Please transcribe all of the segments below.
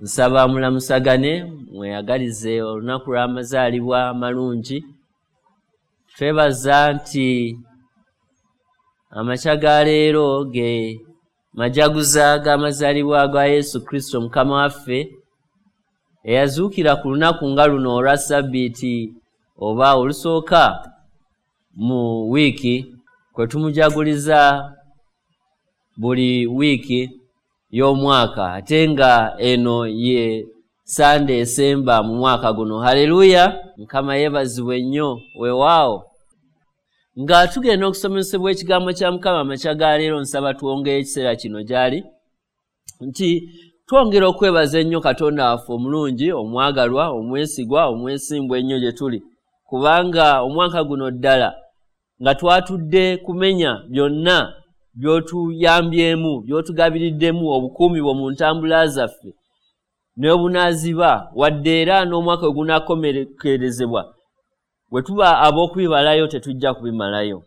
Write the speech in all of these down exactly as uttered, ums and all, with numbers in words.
Nsaba mulamusagane, mweyagalize olunaku lw'amazaalibwa amalungi. Twebaza nti amakya ga leero ge majaguza g'amazaalibwa ga Yesu Kristo Mukama waffe, eyazuukira ku lunaku nga luno olwa Ssabbiiti oba olusooka mu wiiki, kwe tumujaguliza buli wiiki y'omwaka, ate nga eno ye Sande esemba mu mwaka guno. Haleluya! Mukama yeebazibwe nnyo. Weewaawo. Nga tugenda okusomesebwa ekigambo kya Mukama amakya ga leero, nsaba twongere ekiseera kino gy'ali nti twongera okwebaza ennyo Katonda waffe omulungi, omwagalwa, omwesigwa, omwesimbu ennyo gye tuli, kubanga omwaka guno ddala nga twatudde kumenya byonna by'otuyambyemu, by'otugabiriddemu obukuumi bwo mu ntambula zaffe n'obunaaziba, wadde era n'omwaka we gunaakomekerezebwa, bwe tuba ab'okubibalayo tetujja kubimalayo.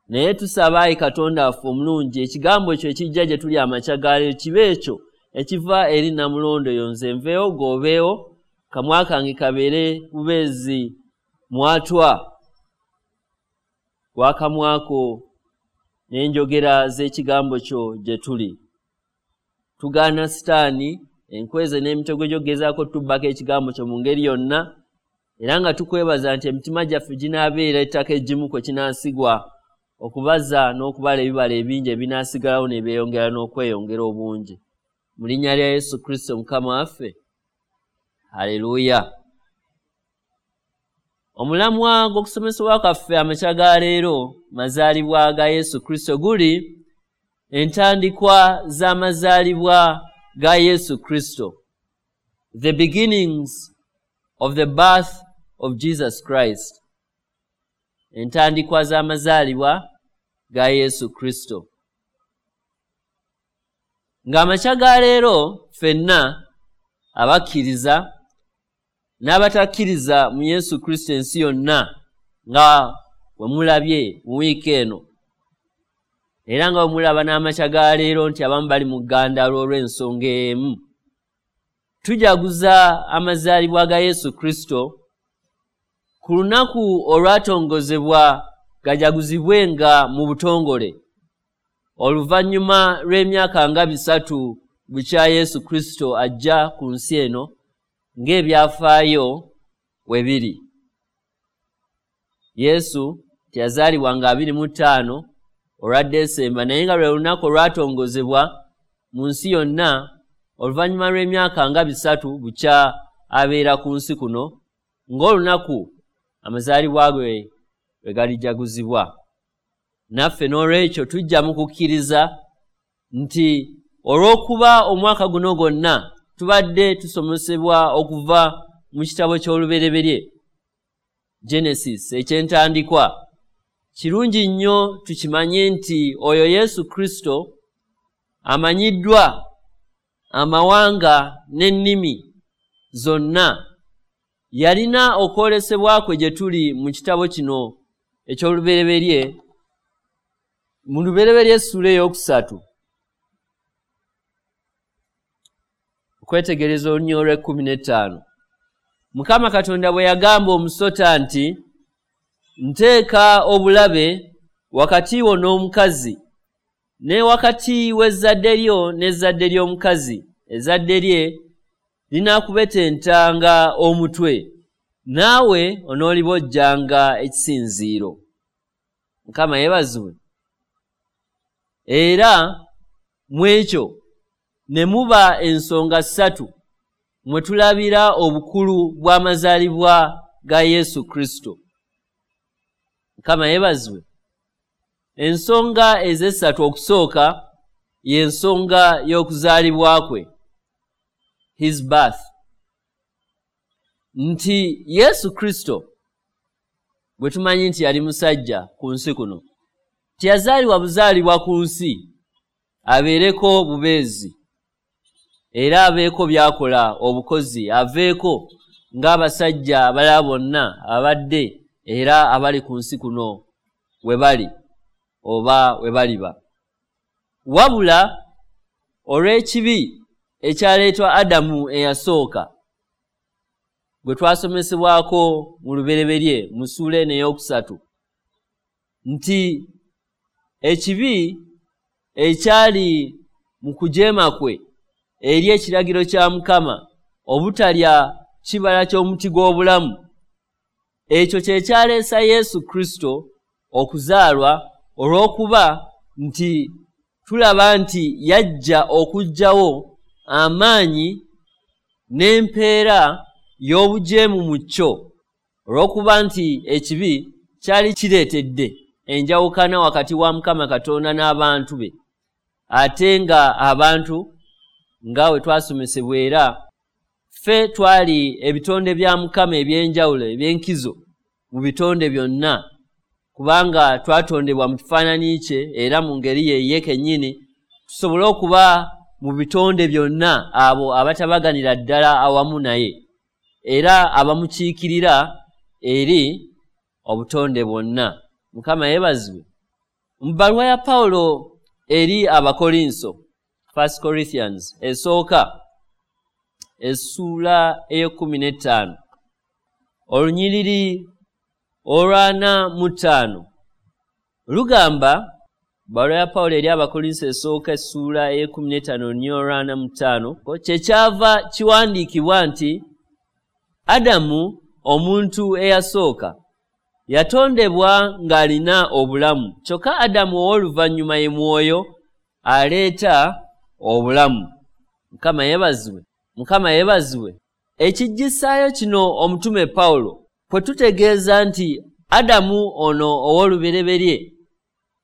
Naye tusaba ayi Katonda waffe omulungi, ekigambo ekyo ekijja gye tuli amakya ga leero kibe ekyo ekiva eri Namulondo eyo, nze nveewo g'obeewo, kamwa kange kabeere bubeezi mwatwa gwakamwako n'enjogera z'ekigambo kyo gye tuli. Tugaana Sitaani enkweze n'emitego gy'okugezaako tubbako ekigambo kyo mu ngeri yonna, era nga tukwebaza nti emitima gyaffe ginaabeera ettaka eggimu kwe kinaasigwa okubaza n'okubala ebibala ebingi ebinaasigalawo ne byeyongera n'okweyongera obungi. Mu linnya lya Yesu Kristo Mukama waffe, haleluya. Omulamwa gw'okusomesebwa kwaffe amakya ga leero, mazaalibwa ga Yesu Kristo, guli entandikwa z'amazaalibwa ga Yesu Kristo, the beginnings of the birth of Jesus Christ. Entandikwa z'amazaalibwa ga Yesu Kristo. Ng'amakya ga leero ffenna abakkiriza n'abatakkiriza mu Yesu Kristo ensi yonna, nga bwe mulabye mu wiiki eno, era nga bwe mulaba n'amakya ga leero nti abamu bali mu ggandalo olw'ensonga emu, tujaguza amazaalibwa ga Yesu Kristo ku lunaku olwatongozebwa gajaguzibwenga mu butongole, oluvannyuma lw'emyaka nga bisatu bukya Yesu Kristo ajja ku nsi eno ng'ebyafaayo we biri. Yesu teyazaalibwa nga abiri mu ttaano olwa Desemba, naye nga lwe lunaku olwatongozebwa mu nsi yonna oluvannyuma lw'emyaka nga bisatu bukya abeera ku nsi kuno, ng'olunaku amazaalibwa ge lwe galijaguzibwa. Naffe n'olwekyo tujja mu kukkiriza nti olw'okuba omwaka guno gwonna tubadde tusomesebwa okuva mu kitabo ky'Olubereberye, Genesis, eky'entandikwa, kirungi nnyo tukimanye nti oyo Yesu Kristo amanyiddwa amawanga n'ennimi zonna, yalina okwolesebwa kwe gye tuli mu kitabo kino eky'Olubereberye, mu Lubereberye essuula ey'okusatu, okwetegereza olunyiriri olw'ekkumi n'ettaano. Mukama Katonda bwe yagamba omusota nti, nteeka obulabe wakati wo n'omukazi, ne wakati w'ezzadde lyo n'ezzadde ly'omukazi, ezzadde lye linaakubetentanga omutwe, naawe onoolibojjanga ekisinziiro. Mukama yeebazibwe. Era mu ekyo ne muba ensonga ssatu mwe tulabira obukulu bw'amazaalibwa ga Yesu Kristo. Mukama yeebazibwe. Ensonga ez'essatu, okusooka y'ensonga y'okuzaalibwa kwe, his birth, nti Yesu Kristo bwe tumanyi nti yali musajja ku nsi kuno, teyazaalibwa buzaalibwa ku nsi abeereko bubeezi era abeeko by'akola obukozi, aveeko ng'abasajja abalala bonna abadde era abali ku nsi kuno we bali oba we baliba, wabula olw'ekibi ekyaleetwa Adamu eyasooka gwe twasomesebwako mu lubereberye mu ssuula eno ey'okusatu, nti ekibi ekyali mu kujeema kwe eri ekiragiro kya Mukama obutalya kibala ky'omuti gw'obulamu, ekyo kye kyaleesa Yesu Kristo okuzaalwa, olw'okuba nti tulaba nti yajja okuggyawo amaanyi n'empeera y'obujeemu mu kyo, olw'okuba nti ekibi kyali kireetedde enjawukana wakati wa Mukama Katonda n'abantu be, ate nga abantu nga we twasomesebwa era ffe twali ebitonde bya Mukama eby'enjawulo eby'enkizo mu bitonde byonna, kubanga twatondebwa mu kifaananyi kye era mu ngeri ye ye kennyini, tusobole okuba mu bitonde byonna abo abatabaganira ddala awamu naye era abamukiikirira eri obutonde bwonna. Mukama yeebazibwe. Mu bbaluwa ya Pawulo eri Abakolinso, First Corinthians esooka essuula ey'ekkumi n'ettaano olunyiriri olwana mu ttaano lugamba, bbaluwa ya Pawulo eri Abakolinso esooka essuula ey'ekkumi n'ettaano olunyiriri olwana mu ttaano, kyekyava kiwandiikibwa nti Adamu omuntu eyasooka yatondebwa ng'alina obulamu, kyokka Adamu ow'oluvannyuma ye mwoyo aleeta obulamu. Mukama yeebazibwe. Mukama yeebazibwe. Ekiggisaayo kino omutume Pawulo kwe tutegeeza nti Adamu ono ow'olubereberye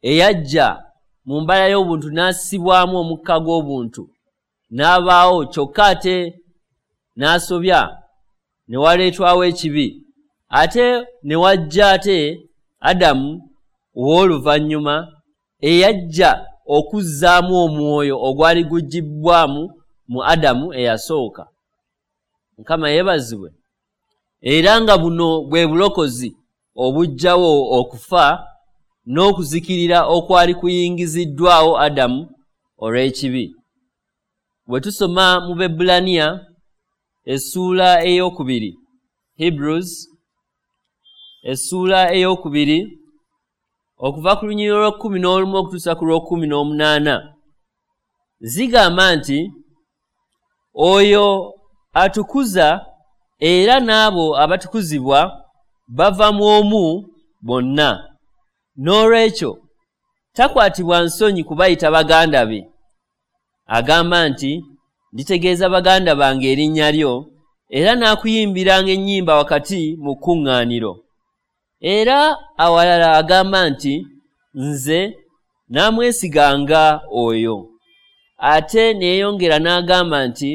eyajja mu mbala y'obuntu n'assibwamu omukka gw'obuntu n'abaawo, kyokka ate n'asobya ne waleetwawo ekibi, ate ne wajja ate Adamu ow'oluvannyuma eyajja okuzzaamu omwoyo ogwali guggyibwamu mu Adamu eyasooka. Mukama yeebazibwe. Era nga buno bwe bulokozi obuggyawo okufa n'okuzikirira okwali kuyingiziddwawo Adamu olw'ekibi. Bwe tusoma mu Bebbulaniya essuula ey'okubiri, Hebrews essuula ey'okubiri okuva ku lunyiriri olw'ekkumi n'olumu okutuusa ku lw'ekkumi n'omunaana, zigamba nti oyo atukuza era n'abo abatukuzibwa bava mu omu bonna. N'olwekyo takwatibwa nsonyi kubayita baganda be. Agamba nti nditegeeza baganda bange erinnya lyo, era n'akuyimbiranga ennyimba wakati mu kkuŋŋaaniro. Era awalala agamba nti nze naamwesiganga oyo. Ate ne yeeyongera n'agamba nti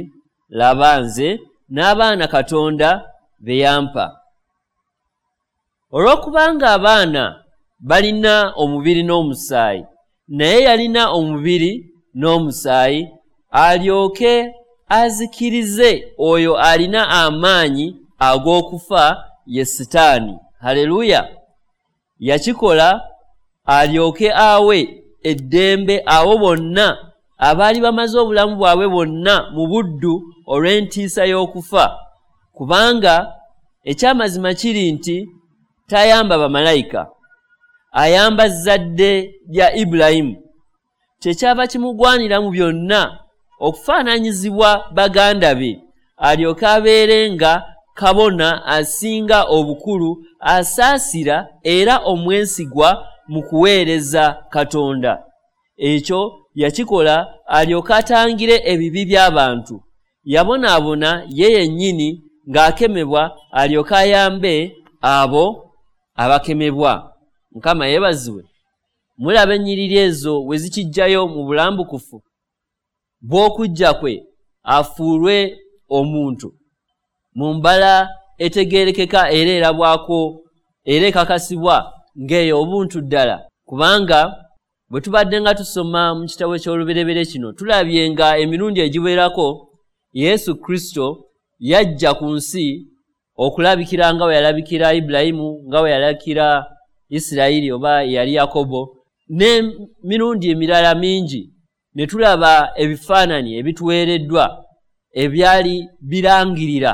laba nze n'abaana Katonda be yampa. Olw'okubanga abaana balina omubiri n'omusaayi, naye yalina omubiri n'omusaayi, alyoke azikirize oyo alina amaanyi ag'okufa, ye Sitaani. Haleluya! Yakikola alyoke awe eddembe abo bonna abaali bamaze obulamu bwabwe bwonna mu buddu olw'entiisa y'okufa, kubanga ekyamazima kiri nti tayamba bamalayika, ayamba zzadde lya Ibulayimu. Kyekyava kimugwanira mu byonna okufaananyizibwa baganda be, alyoke abeere nga kabona asinga obukulu, asaasira era omwesigwa mu kuweereza Katonda. Ekyo yakikola alyoke atangire ebibi by'abantu. Yabonaabona ye yennyini ng'akemebwa, alyoke ayambe abo abakemebwa. Mukama yeebazibwe. Mulaba ennyiriri ezo we zikiggyayo mu bulambukufu bw'okujja kwe afuulwe omuntu mu mbala etegeerekeka era erabwako era ekakasibwa ng'eyo obuntu ddala. Kubanga bwe tubadde nga tusoma mu kitabo ky'olubereberye kino, tulabye nga emirundi egiwerako Yesu Kristo yajja ku nsi okulabikira nga bwe yalabikira Ibulayimu, nga bwe yalabikira Isirayiri oba yali Yakobo, n'emirundi emirala mingi, ne tulaba ebifaananyi ebituweereddwa ebyali birangirira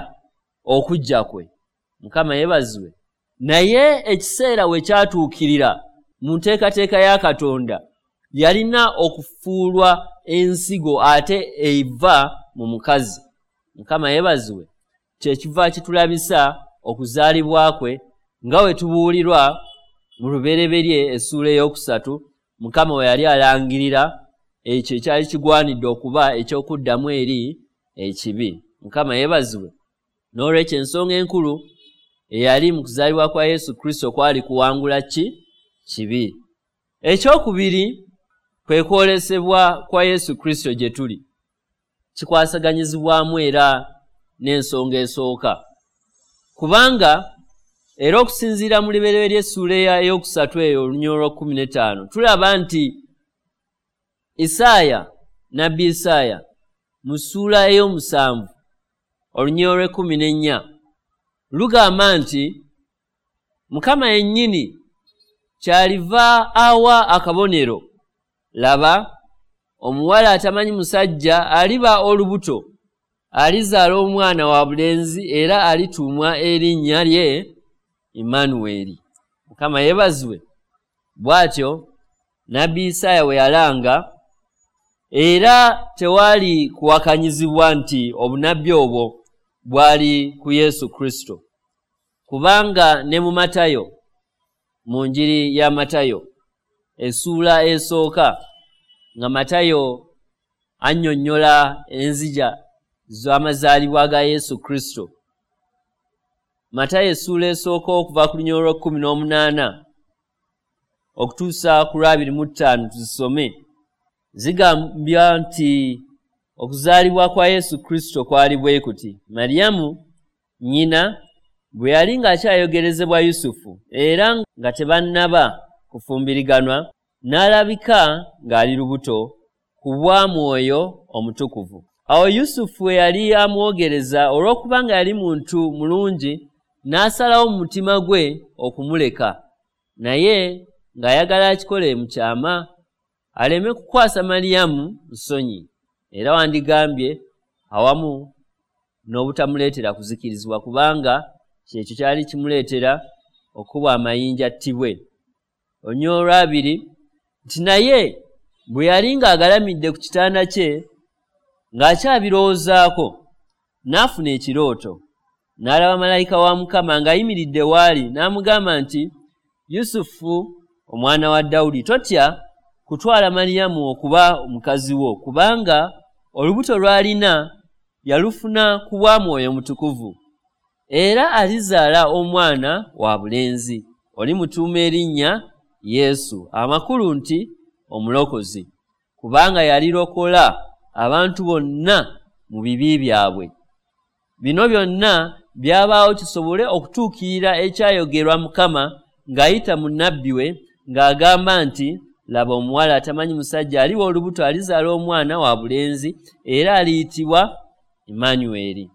okujja kwe. Mukama yeebazibwe. Naye ekiseera we kyatuukirira mu nteekateeka ya Katonda, yalina okufuulwa ensigo ate eva mu mukazi. Mukama yeebazibwe. Kyekiva kitulabisa okuzaalibwa kwe nga we tubuulirwa mu Lubereberye essuula ey'okusatu, Mukama we yali alangirira ekyo ekyali kigwanidde okuba eky'okuddamu eri ekibi. Mukama yeebazibwe. N'olwekyo ensonga enkulu eyali mu kuzaalibwa kwa Yesu Kristo kwali kuwangula ki? Kibi. Ekyokubiri kwe kwolesebwa kwa Yesu Kristo gye tuli. Kikwasaganyizibwamu era n'ensonga esooka, kubanga era okusinziira mu Lubereberye essuula ey'okusatu eyo olunyiriri olw'ekkumi n'ettaano tulaba nti Isaaya, nabbi Isaaya mu ssuula ey'omusanvu olunyiriri olw'ekkumi n'ennya lugamba nti Mukama yennyini kyaliva awa akabonero, laba omuwala atamanyi musajja aliba olubuto, alizaala omwana wa bulenzi era alituumwa erinnya lye Emmanueli. Mukama yeebazibwe. Bw'atyo nabbi Isaaya we yalanga, era tewaali kuwakanyizibwa nti obunnabbi obwo bwali ku Yesu Kristo, kubanga ne mu Matayo, mu njiri ya Matayo essuula esooka, nga Matayo annyonnyola enzija z'amazaalibwa ga Yesu Kristo. Matayo essuula esooka okuva ku lunyiriri olw'ekkumi n'omunaana okutuusa ku lw'abiri mu ttaano tuzisome, zigambya nti okuzaalibwa kwa Yesu Kristo kwali bwe kuti: Mariyamu nnyina bwe yali ng'akyayogerezebwa Yusufu era nga tebannaba kufumbiriganwa, n'alabika ng'ali lubuto ku bwa Mwoyo Omutukuvu. Awo Yusufu we yali amwogereza, olw'okubanga yali muntu mulungi, n'asalawo mu mutima gwe okumuleka, naye ng'ayagala akikole mu kyama aleme kukwasa Mariyamu nsonyi, era wandigambye awamu n'obutamuleetera kuzikirizibwa, kubanga kyekyo kyali kimuleetera okubwa amayinja attibwe. Olunyiriri olw'abiri nti naye bwe yali ng'agalamidde ku kitanda kye ng'akyabirowoozaako, n'afuna ekirooto, n'alaba malayika wa Mukama ng'ayimiridde waali, n'amugamba nti, Yusufu omwana wa Dawudi, totya kutwala Mariyamu okuba mukazi wo, kubanga olubuto lw'alina yalufuna ku bwa Mwoyo Mutukuvu, era alizaala omwana wa bulenzi, olimutuuma erinnya Yesu, amakulu nti Omulokozi, kubanga yalirokola abantu bonna mu bibi byabwe. Bino byonna byabaawo kisobole okutuukirira ekyayogerwa Mukama ng'ayita mu nnabbi we ng'agamba nti, laba omuwala atamanyi musajja aliba olubuto, alizaala omwana wa bulenzi, era aliyitibwa Emmanueli,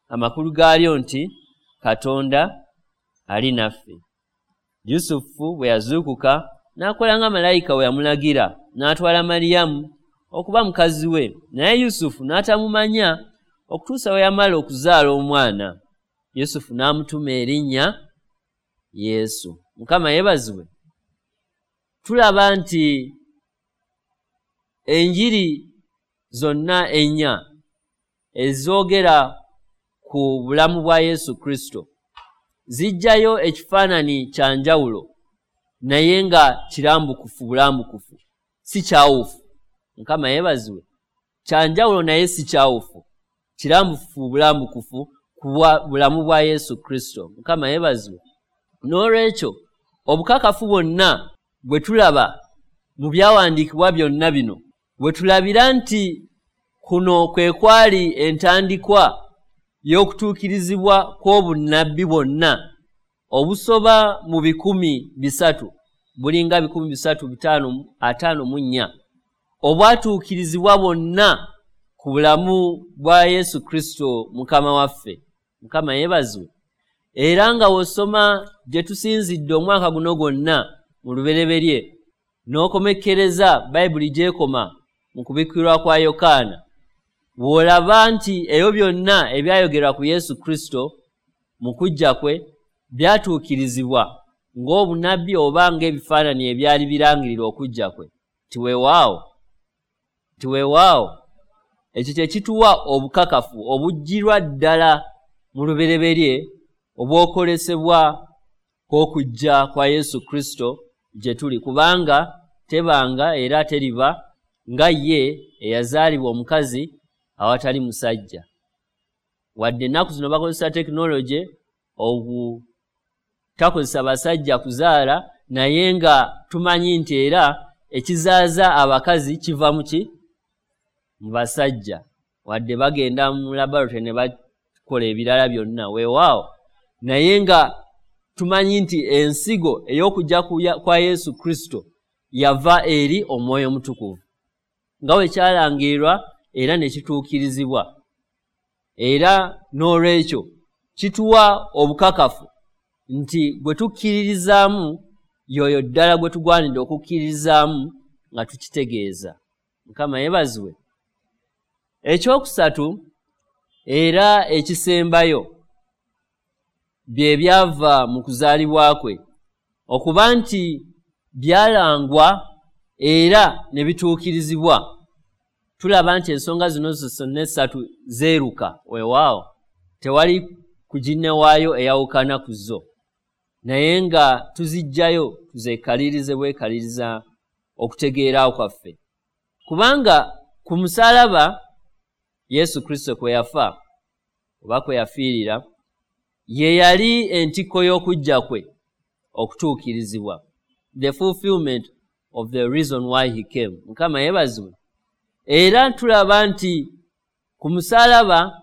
amakulu gaalyo nti Katonda ali naffe. Yusufu bwe yazuukuka n'akola nga malayika we yamulagira, n'atwala Mariyamu okuba mukazi we, naye Yusufu n'atamumanya okutuusa we yamala okuzaala omwana. Yusufu n'amutuma erinnya Yesu. Mukama yeebazibwe. Tulaba nti enjiri zonna ennya ezoogera ku bulamu bwa Yesu Kristo zijjayo ekifaananyi kya njawulo, naye nga kirambukufu bulambukufu, si kyawufu. Mukama yeebazibwe. Kya njawulo naye si kyawufu, kirambukufu bulambukufu ku bulamu bwa Yesu Kristo. Mukama yeebazibwe. N'olwekyo obukakafu bwonna bwe tulaba mu byawandiikibwa byonna bino, bwe tulabira nti kuno kwe kwali entandikwa y'okutuukirizibwa kw'obunnabbi bwonna obusoba mu bikumi bisatu, bulinga bikumi bisatu bitaano ataano mu nnya, obwatuukirizibwa bwonna ku bulamu bwa Yesu Kristo Mukama waffe. Mukama yeebazibwe. Era nga w'osoma gye tusinzidde omwaka guno gwonna mu Lubereberye n'okomekkereza Bayibuli gy'ekoma mu kubikkulirwa kwa Yokaana, Bw'olaba nti ebyo byonna ebyayogerwa ku Yesu Kristo mu kujja kwe byatuukirizibwa ng'obunabbi oba ng'ebifaananyi ebyali birangirira okujja kwe, nti weewaawo, nti weewaawo, ekyo kye kituwa obukakafu obujjirwa ddala mu lubereberye obw'okwolesebwa kw'okujja kwa Yesu Kristo gye tuli, kubanga tebanga era teriba nga ye eyazaalibwa omukazi awatali musajja. Wadde ennaku zino bakozesa tekinologi obutakozesa basajja kuzaala, naye nga tumanyi nti era ekizaaza abakazi kiva mu ki? Mu basajja. Wadde bagenda mu laboratory ne bakola ebirala byonna, weewaawo, naye nga tumanyi nti ensigo ey'okujja kwa Yesu Kristo yava eri Omwoyo Omutukuvu, nga bwe kyalangirirwa era ne kituukirizibwa. Era n'olwekyo kituwa obukakafu nti gwe tukkiririzaamu y'oyo ddala gwe tugwanidde okukkiririzaamu nga tukitegeeza. Mukama yeebazibwe. Ekyokusatu era ekisembayo bye byava mu kuzaalibwa kwe, okuba nti byalangwa era ne bituukirizibwa. Tulaba nti ensonga zino zonna essatu zeeruka, weewaawo, tewali kuginnewaayo eyawukana ku zo, naye nga tuziggyayo tuzeekalirize bwekaliriza okutegeera kwaffe. Kubanga ku musaalaba Yesu Kristo kwe yafa oba kwe yafiirira, ye yali entikko y'okujja kwe okutuukirizibwa, the fulfillment of the reason why he came. Mukama yeebazibwe. Era tulaba nti ku musaalaba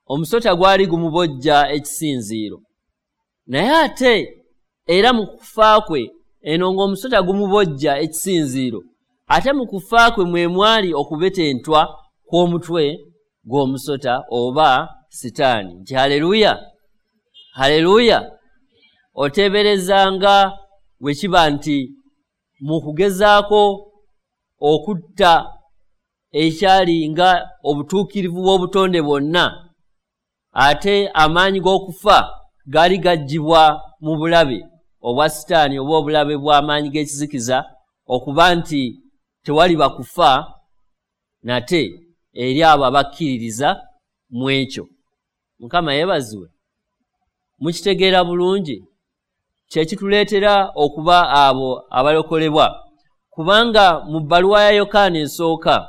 omusota gwali gumubojja ekisinziiro, naye ate era mu kufa kwe eno ng'omusota gumubojja ekisinziiro, ate mu kufa kwe mwe mwali okubetentwa kw'omutwe gw'omusota oba Sitaani. Nti haleluya, haleluya. Oteeberezanga bwe kiba nti mu kugezaako okutta ekyali nga obutuukirivu bw'obutonde bwonna, ate amaanyi g'okufa gaali gaggyibwa mu bulabe obwa Sitaani oba obulabe bw'amaanyi g'ekizikiza, okuba nti tewaliba kufa nate eri abo abakkiririza mu ekyo. Mukama yeebazibwe. Mukitegeera bulungi kye kituleetera okuba abo abalokolebwa, kubanga mu bbaluwa ya Yokaana esooka,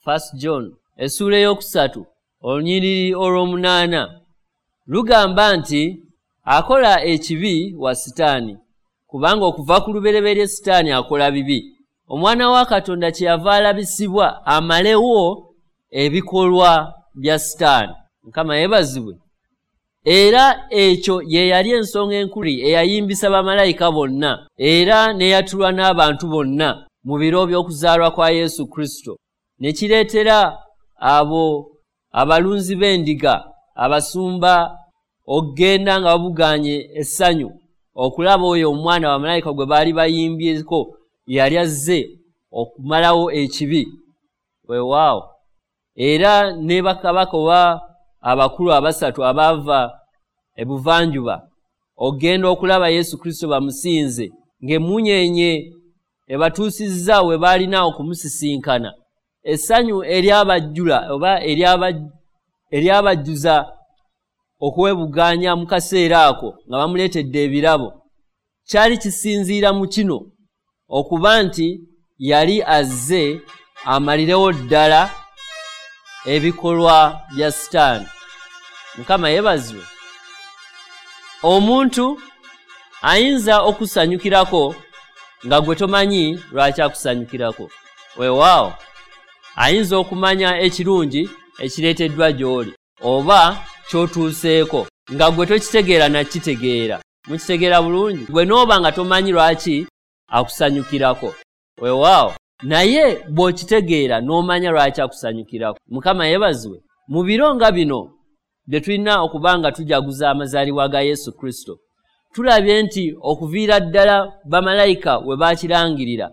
First John, essuula ey'okusatu olunyiriri olw'omunaana lugamba nti akola ekibi wa Sitaani, kubanga okuva ku lubereberye Sitaani akola bibi. Omwana wa Katonda kyeyava alabisibwa amalewo ebikolwa bya Sitaani. Mukama yeebazibwe. Era ekyo ye yali ensonga enkulu eyayimbisa bamalayika bonna era n'eyatulwa n'abantu bonna mu biro by'okuzaalwa kwa Yesu Kristo, ne kireetera abo abalunzi b'endiga, abasumba, okugenda nga babugaanye essanyu okulaba oyo omwana bamalayika gwe baali bayimbyeko yali azze okumalawo ekibi. Weewaawo. Era ne bakabaka oba abakulu abasatu abaava ebuvanjuba okugenda okulaba Yesu Kristo bamusinze, ng'emmunyeenye ebatuusizza we baalina okumusisinkana. Essanyu eryabajjula oba eryabajjuza okwebugaanya mu kaseera ako nga bamuleetedde ebirabo, kyali kisinziira mu kino okuba nti yali azze amalirewo ddala ebikolwa bya Sitaani. Mukama yeebazibwe. Omuntu ayinza okusanyukirako nga gwe tomanyi lwaki akusanyukirako. Weewaawo, ayinza okumanya ekirungi ekireeteddwa gy'oli oba ky'otuuseeko nga gwe tokitegeera nakitegeera. Mukitegeera bulungi? Gwe n'oba nga tomanyi lwaki akusanyukirako. Weewaawo, naye bw'okitegeera n'omanya lwaki akusanyukirako. Mukama yeebazibwe. Mu biro nga bino bye tulina okuba nga tujaguza amazaalibwa ga Yesu Kristo, tulabye nti okuviira ddala bamalayika we baakirangirira,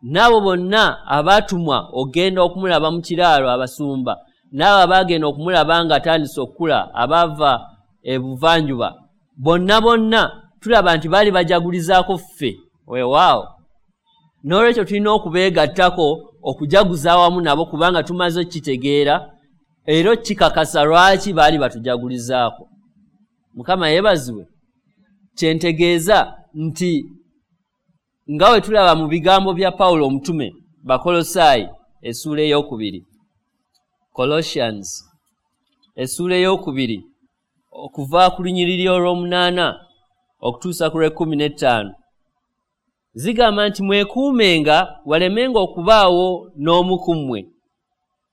n'abo bonna abaatumwa okugenda okumulaba mu kiraalo abasumba n'abo abaagenda okumulaba nga atandise okukula abaava ebuvanjuba, bonna bonna tulaba nti baali bajagulizaako ffe. Weewaawo, n'olwekyo tulina okubeegattako okujaguza awamu nabo, kubanga tumaze okukitegeera era okikakasa lwaki baali batujagulizaako. Mukama yeebazibwe. Kyentegeeza nti nga we tulaba mu bigambo bya Pawulo omutume Bakolosaayi essuula ey'okubiri, Colossians essuula ey'okubiri okuva ku lunyiriri olw'omunaana okutuusa ku lw'ekkumi n'ettaano, zigamba nti mwekuumenga walemenga okubaawo n'omu ku mmwe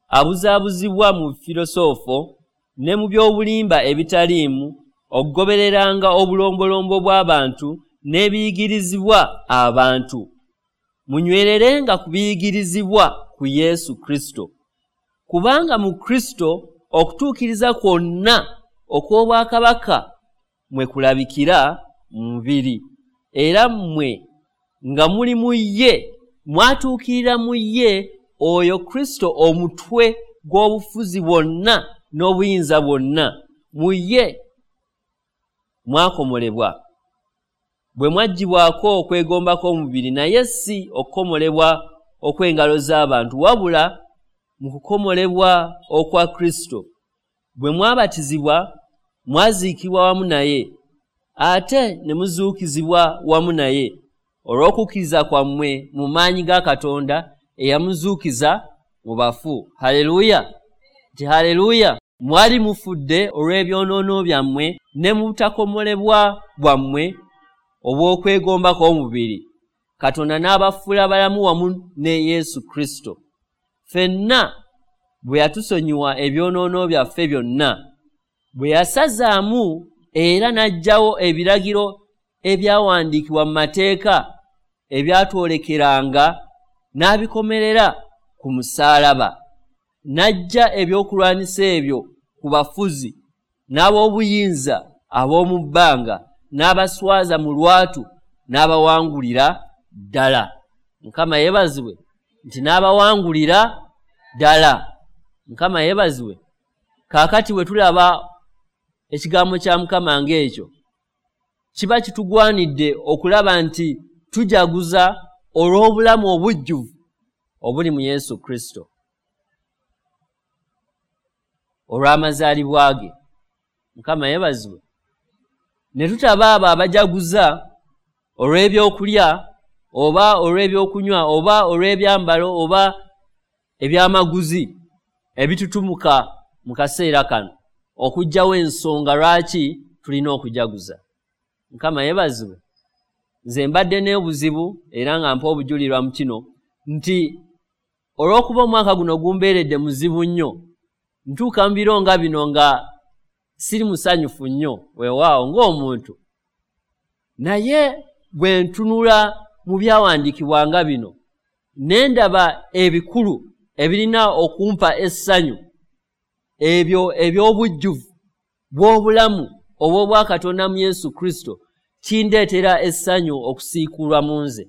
abuzaabuzibwa mu filosoofo ne mu by'obulimba ebitaliimu, okugobereranga obulombolombo bw'abantu n'ebiyigirizibwa abantu. Munywererenga ku biyigirizibwa ku Yesu Kristo, kubanga mu Kristo okutuukiriza kwonna okw'obwakabaka mwe kulabikira mu mubiri, era mmwe nga muli mu ye mwatuukirira mu ye oyo Kristo omutwe gw'obufuzi bwonna n'obuyinza bwonna. Mu ye mwakomolebwa bwe mwaggyibwako okwegomba kw'omubiri, naye si okukomolebwa okw'engalo z'abantu, wabula mu kukomolebwa okwa Kristo. Bwe mwabatizibwa mwaziikibwa wamu naye, ate ne muzuukizibwa wamu naye olw'okukkiriza kwammwe mu maanyi ga Katonda eyamuzuukiza mu bafu. Haleluya! Nti haleluya! Mwali mufudde olw'ebyonoono byammwe ne mu butakomolebwa bwammwe obw'okwegomba kw'omubiri, Katonda n'abafuula balamu wamu ne Yesu Kristo. Ffenna bwe yatusonyiwa ebyonoono byaffe byonna, bwe yasazaamu era n'aggyawo ebiragiro ebyawandiikibwa mu mateeka ebyatwolekeranga, n'abikomerera ku musaalaba. N'aggya ebyokulwanyisa ebyo ku bafuzi n'ab'obuyinza ab'omu bbanga, n'abaswaza mu lwatu, n'abawangulira ddala. Mukama yeebazibwe nti n'abawangulira ddala. Mukama yeebazibwe. Kaakati bwe tulaba ekigambo kya Mukama ng'ekyo, kiba kitugwanidde okulaba nti tujaguza olw'obulamu obujjuvu obuli mu Yesu Kristo, olw'amazaalibwa ge. Mukama yeebazibwe. Ne tutaba abo abajaguza olw'ebyokulya oba olw'ebyokunywa oba olw'ebyambalo oba ebyamaguzi ebitutumuka mu kaseera kano, okuggyawo ensonga lwaki tulina okujaguza. Mukama yeebazibwe. Nze mbadde n'obuzibu era nga mpa obujulirwa mu kino nti olw'okuba omwaka guno gumbeeredde muzibu nnyo, ntuuka mu biro nga bino nga siri musanyufu nnyo, weewaawo ng'omuntu. Naye bwe ntunula mu byawandiikibwa nga bino ne ndaba ebikulu ebirina okumpa essanyu, ebyo eby'obujjuvu bw'obulamu obw'obwakatonda mu Yesu Kristo, kindeetera essanyu okusiikulwa mu nze.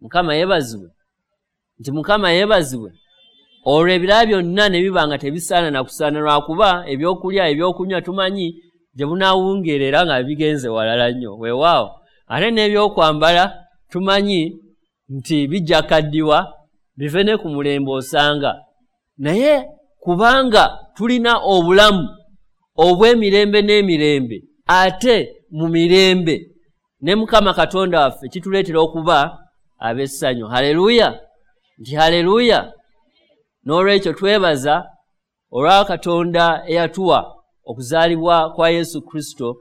Mukama yeebazibwe. Nti Mukama yeebazibwe. Olwo ebirala byonna ne biba nga tebisaana na kusaana, lwakuba ebyokulya ebyokunywa tumanyi gye bunaawungeera nga bigenze walala nnyo. Weewaawo, ate n'ebyokwambala tumanyi nti bijja kaddiwa bive ne ku mulembe osanga. Naye kubanga tulina obulamu obw'emirembe n'emirembe, ate mu mirembe ne Mukama Katonda waffe, kituleetera okuba ab'essanyu. Haleluya! Nti haleluya! N'olwekyo twebaza olwa Katonda eyatuwa okuzaalibwa kwa Yesu Kristo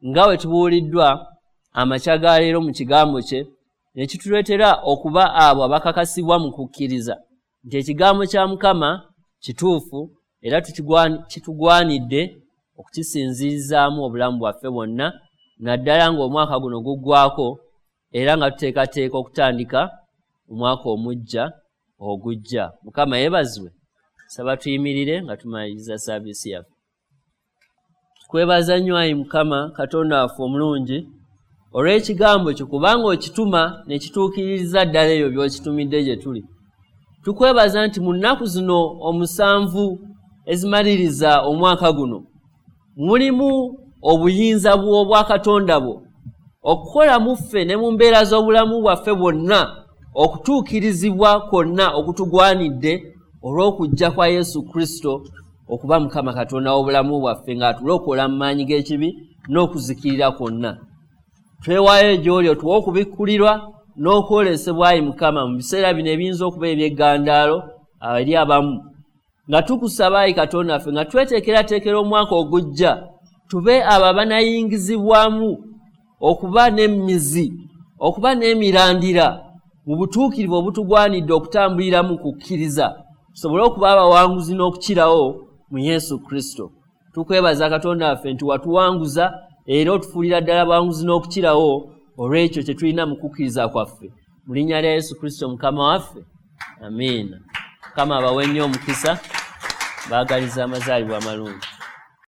nga bwe tubuuliddwa amakya ga leero mu kigambo kye, ne kituleetera okuba abo abakakasibwa mu kukkiriza nti ekigambo kya Mukama kituufu era kitugwanidde okukisinzirizaamu obulamu bwaffe bwonna, naddala ng'omwaka guno guggwako era nga tuteekateeka okutandika omwaka omuggya ogujja. Mukama yeebazibwe. Saba tuyimirire nga tumaliriza saaviisi yaffe. Tukwebaza nnyo ayi Mukama Katonda waffe omulungi olw'ekigambo kyo, kubanga okituma ne kituukiririza ddala ebyo by'okitumidde gye tuli. Tukwebaza nti mu nnaku zino omusanvu ezimaliriza omwaka guno mulimu obuyinza bw'obwakatonda bwo okukola mu ffe ne mu mbeera z'obulamu bwaffe bwonna okutuukirizibwa kwonna okutugwanidde olw'okujja kwa Yesu Kristo okuba Mukama Katonda w'obulamu bwaffe ng'atulokola mu maanyi g'ekibi n'okuzikirira kwonna. Twewaayo gy'oli otuwe okubikkulirwa n'okwolesebwa ayi Mukama mu biseera bino ebiyinza okuba eby'eggandaalo eri abamu, nga tukusaba ayi Katonda waffe nga tweteekerateekera omwaka ogujja tube abo abanayingizibwamu okuba n'emizi, okuba n'emirandira mu butuukirivu obutugwanidde okutambuliramu kukkiriza, tusobole okuba abawanguzi n'okukirawo mu Yesu Kristo. Tukwebaza Katonda waffe nti watuwanguza era otufuulira ddala abawanguzi n'okukirawo olw'ekyo kye tulina mu kukkiriza kwaffe. Mu linnya lya Yesu Kristo Mukama waffe, amiina. Mukama abawe nnyo omukisa, baagaliza amazaalibwa amalungi.